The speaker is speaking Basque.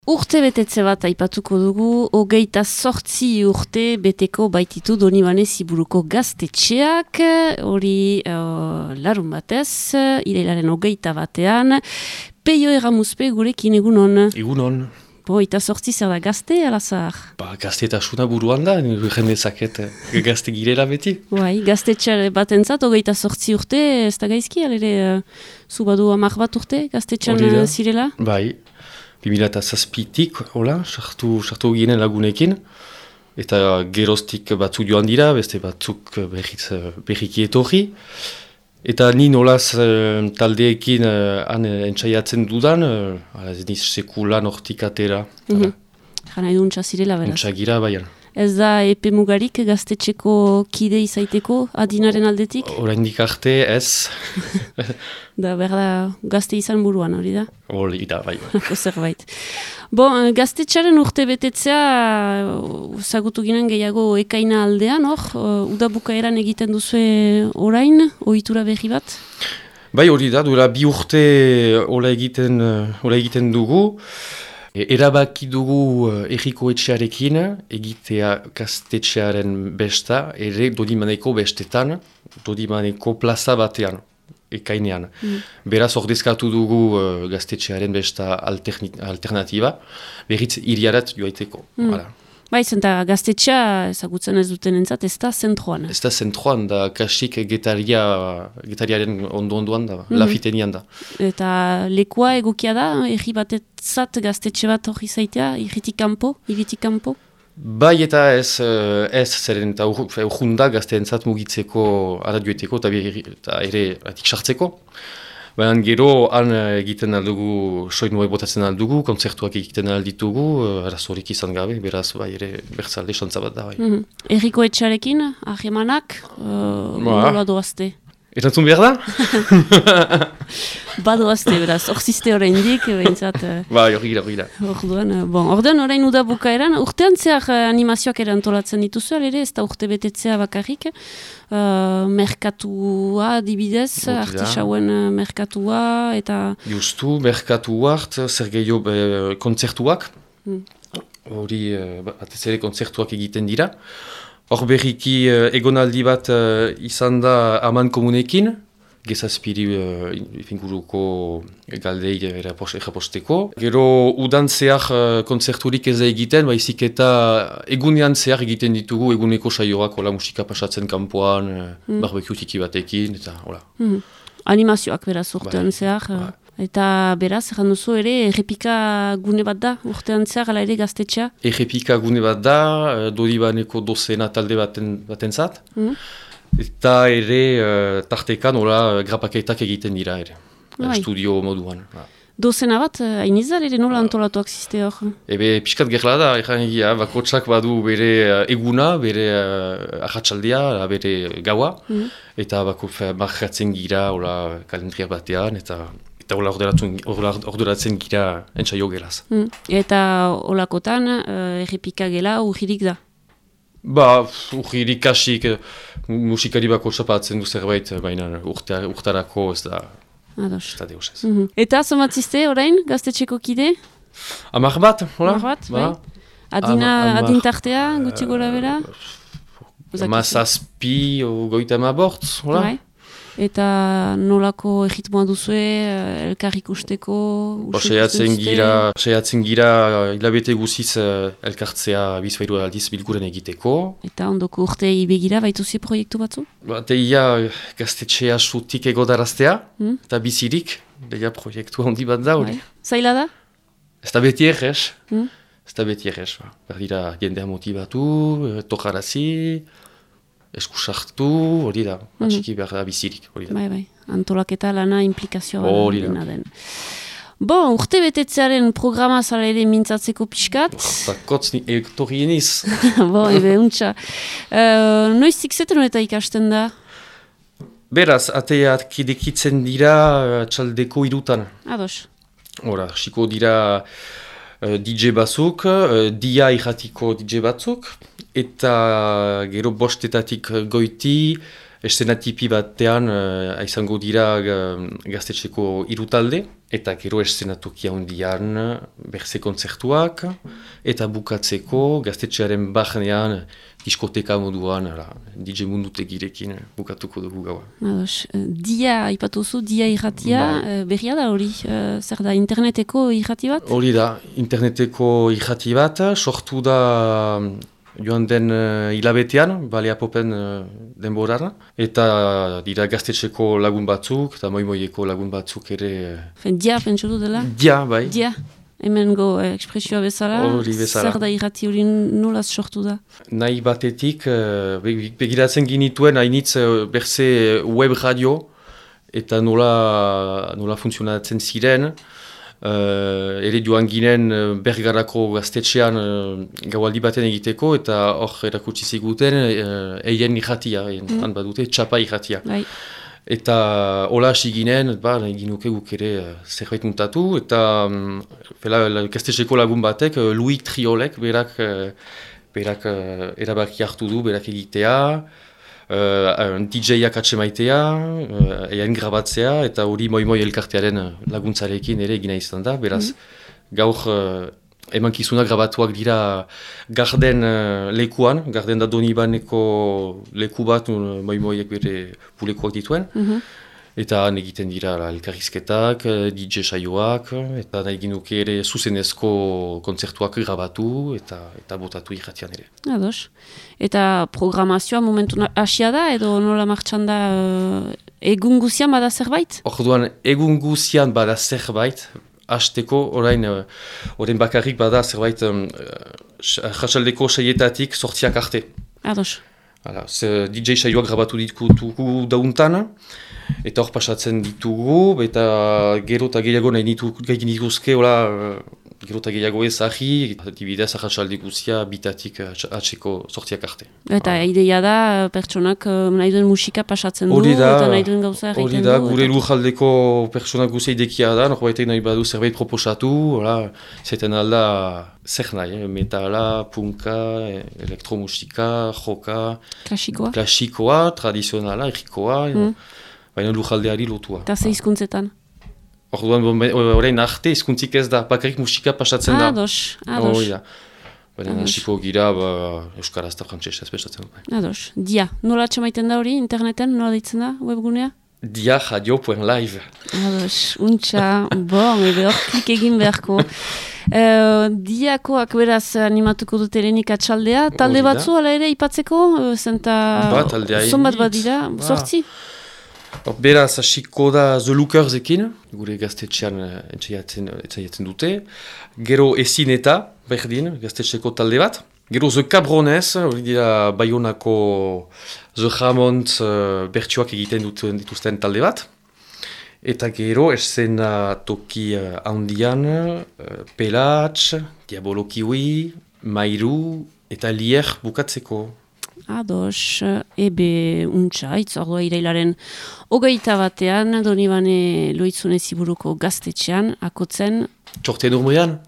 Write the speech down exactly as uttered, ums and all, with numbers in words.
Urte betetze bat aipatuko dugu, hogeita zortzi urte beteko baititu Donibane Ziburuko gaztetxeak, hori uh, larun batez, irailaren hogeita batean, Peio Erramuzpe gurekin egunon. Egunon. Bo, eta zortzi zer da gazte, alazar? Ba, gazte eta suna buruan da, jendezaket gazte girela beti. Bai, gaztetxe bat entzat, hogeita zortzi urte, ez da gaizki, alere, uh, zu badu amak bat urte, gaztetxean zirela? Bai. bi mila zazpitik, hola, sartu, sartu ginen lagunekin, eta geroztik batzuk joan dira, beste batzuk berriz, berriki etorri. Eta ni nolaz taldeekin han entzaiatzen dudan, ala ez niz sekulan hortik atera. Mm-hmm. Jana edu untsa zirela, beraz? Untsa gira, baian. Ez da epe mugarik gaztetxeko kide izaiteko adinaren aldetik? Oraindik arte, ez. Da, berda, gazte izan buruan, hori da? Hori da, bai. Zerbait. Bo, gaztetxaren urte betetzea, zagutu ginen gehiago ekaina aldean, hor? Udabukaeran egiten duzue orain, ohitura berri bat? Bai, hori da, duela bi urte hola egiten, hola egiten dugu. Erabaki dugu erriko etxearekin egitea gaztetxearen besta, ere Dodimaneko bestetan, Dodimaneko plaza batean, ekainean. Mm. Beraz ordezkatu dugu uh, gaztetxearen besta alternatiba, berriz iriarat joaiteko. Mm. Bai, zenta gaztetxea ezagutzen ez duten entzat, ez da zentroan. Ez da zentroan, da kasik getaria, getariaren ondo-ondoan da, mm-hmm. Lafitenian da. Eta lekua egokia da, erri batetzat gaztetxe bat hori zaitea, irritik kanpo, iritik kanpo? Bai eta ez, ez zeren eta urjunda gazteentzat mugitzeko aradioeteko eta ere atik sartzeko. Baina gero, han egiten aldugu, soinua botatzen aldugu, kontzertuak egiten alditugu, arazorik izan gabe, beraz, bai, ere, bertzalde xantza bat da, bai. Mm-hmm. Erriko etxarekin, ahemanak, uh, nola doazte? Erantzun behar da? Badoazte, beraz, orziste oraindik, behintzat... Bai, hori gira, hori gira. Orduan, bon, orduan orain uda bukaeran, urtean zehar animazioak ere antolatzen dituzu, ere, ez da urte betetzea bakarrik, uh, merkatua dibidez, artisauen merkatua, eta... Justu, merkatua, zer gehiago kontzertuak, hori, mm. batez ere kontzertuak egiten dira. Hor berriki uh, egonaldi bat uh, izan da Aman komunekin, gezazpiri uh, inguruko galdei eraposteko. Gero udan zehar uh, kontzerturik ez da egiten, baizik eta egunean zehar egiten ditugu eguneko saioak, hola musika pasatzen kanpoan, uh, mm. barbekue tiki batekin, eta hola. Mm. Animazioak beraz urtean zehar. Ba. Eta beraz, erran duzu ere, errepika gune bat da, urtean zehar, ala ere gaztetxea? Errepika gune bat da, Dodibaneko dozena talde baten, baten zat. Mm. Eta ere, uh, tartekan, hola, grapaketak egiten dira ere, bai. Studio moduan. Ha. Dozena bat, hain izan ere nola antolatuak ziste hor? Ebe, pixkat gerla da, erran egia, bakotsak badu bere eguna, bere uh, ahatsaldia, bere gaua, mm. eta bako marratzen gira, hola, kalendria batean, eta... eta hola orduratzen gira entzaio gelaz. Mm. Eta holakotan, uh, errepika gela urgirik da? Ba, urgirik kasik, musikari bako txapatzen du zerbait, baina urtarako ez da... Ados. Ez da deus ez. Mm-hmm. Eta somatziste orain, gaztetxeko kide? Amar bat, hola? Amar bat, ba. Bai. Adina, Amar, adintartea, gutxi gora bera? Mazazpi, goita ma bortz, hola? Bai. Eta nolako egitmoa duzue, elkar ikusteko? Seiatzen gira, seiatzen gira hilabete guziz elkartzea bizpairu aldiz bilguren egiteko. Eta ondoko urtei begira baituzie proiektu batzu? Ba, teia gaztetxea sutik egodaraztea, hmm? Eta bizirik, deia proiektu handi bat da hori. Zaila da? Ez da beti errez, hmm? Ez da beti errez. Berdira jendea motibatu, tokarazi... eskusartu, hori da, atxiki behar da bizirik, hori da. Bai, bai, antolaketa lana implikazioa hori da. Den. Bon, urte betetzearen programa zara ere mintzatzeko pixkat. Eta kotz ni ektorri eniz. Bon, ebe, untxa. Uh, Noiztik zeten eta ikasten da? Beraz, ateak idekitzen dira txaldeko irutan. Ados. Hora, xiko dira uh, D J batzuk, uh, dia irratiko D J batzuk, eta gero bostetatik goiti eszenatipi batean uh, izango dira uh, gaztetxeko hiru talde, eta gero eszenatoki handian berze kontzertuak, eta bukatzeko gaztetxearen barnean diskoteka moduan, ala, D J mundutegirekin bukatuko dugu gaua. Ados, dia aipatuzu, dia irratia, ba. Berria da hori, zer da, interneteko irrati bat? Hori da, interneteko irrati bat, sortu da joan den uh, hilabetean, balea popen uh, denborara, eta dira gaztetxeko lagun batzuk, eta moimoieko lagun batzuk ere... Fen, dia, pentsu dela? Dia, bai. Dia, hemen go eh, ekspresioa bezala, bezala. Zer da irrati hori nolaz sortu da? Nahi batetik, uh, begiratzen ginituen, hainitz uh, berze web radio, eta nola, nola funtzionatzen ziren, Uh, ere joan ginen uh, Bergarako gaztetxean uh, gaualdi baten egiteko, eta hor erakutsi ziguten uh, eien irratia, mm. han badute, txapa irratia. Bai. Eta hola hasi ginen, ba, nahi ginuke guk ere uh, zerbait muntatu, eta um, fela, gaztetxeko lagun batek, uh, Louis Triolek, berak, uh, berak uh, erabaki hartu du, berak egitea, Uh, D J-ak atsemaitea, uh, eien grabatzea, eta hori moi-moi elkartearen laguntzarekin ere egina izan da. Beraz, mm. gaur uh, emankizunak grabatuak dira garden uh, lekuan, garden da Donibaneko leku bat, uh, moi-moiek bere pulekoak dituen. Mm-hmm. Eta han egiten dira elkarrizketak, D J saioak, eta nahi ginuke ere zuzenezko kontzertuak grabatu eta eta botatu irratian ere. Ados. Eta programazioa momentu hasia da edo nola martxan da uh, egun guzian bada zerbait? Orduan, egun guzian bada zerbait, hasteko orain, uh, orain bakarrik bada zerbait um, jasaldeko saietatik sortziak arte. Ados. Hala, D J saioak grabatu ditugu dauntan, eta hor pasatzen ditugu, eta gero eta gehiago nahi dituzke, gero eta gehiago ez ahi, dibidez ahatsalde guzia bitatik atxeko sortziak arte. Eta ah. ideia da, pertsonak nahi duen musika pasatzen du, da, eta nahi duen gauza egiten du. Hori da, gure lujaldeko pertsonak guzia idekia da, norbaitek nahi badu zerbait proposatu, zaiten alda zer nahi, eh? Metala, punka, elektromusika, joka, klasikoa, klasikoa tradizionala, errikoa, mm. baina lujaldeari lotua. Eta ze hizkuntzetan? Orduan, orain arte hizkuntzik ez da, bakarrik musika pasatzen da. Ados, ados. Hori da. Baina hasiko gira, ba, euskaraz eta frantsesez pesatzen da. Ados. Dia, nola atxamaiten da hori, interneten, nola ditzen da, webgunea? dia radio punto live. Ados, untxa, bon, ebe hor klik egin beharko. Uh, diakoak beraz animatuko dut elenik atxaldea, talde batzu ala ere ipatzeko, zenta ba, zonbat bat dira, ba. Sortzi? Beraz, hasiko da The Lookersekin, gure gaztetxean entzaiatzen dute. Gero ezin eta, berdin, gaztetxeko talde bat. Gero The Cabrones, hori dira Bayonako The Hammond uh, bertsioak egiten duten dituzten talde bat. Eta gero esena toki uh, handian, uh, Pelatx, Diabolo Kiwi, Mairu eta Lier bukatzeko. Ados, ebe untxa, itzordua irailaren hogeita batean, Donibane Loitzune Ziburuko gaztetxean, akotzen... Txorten urmean?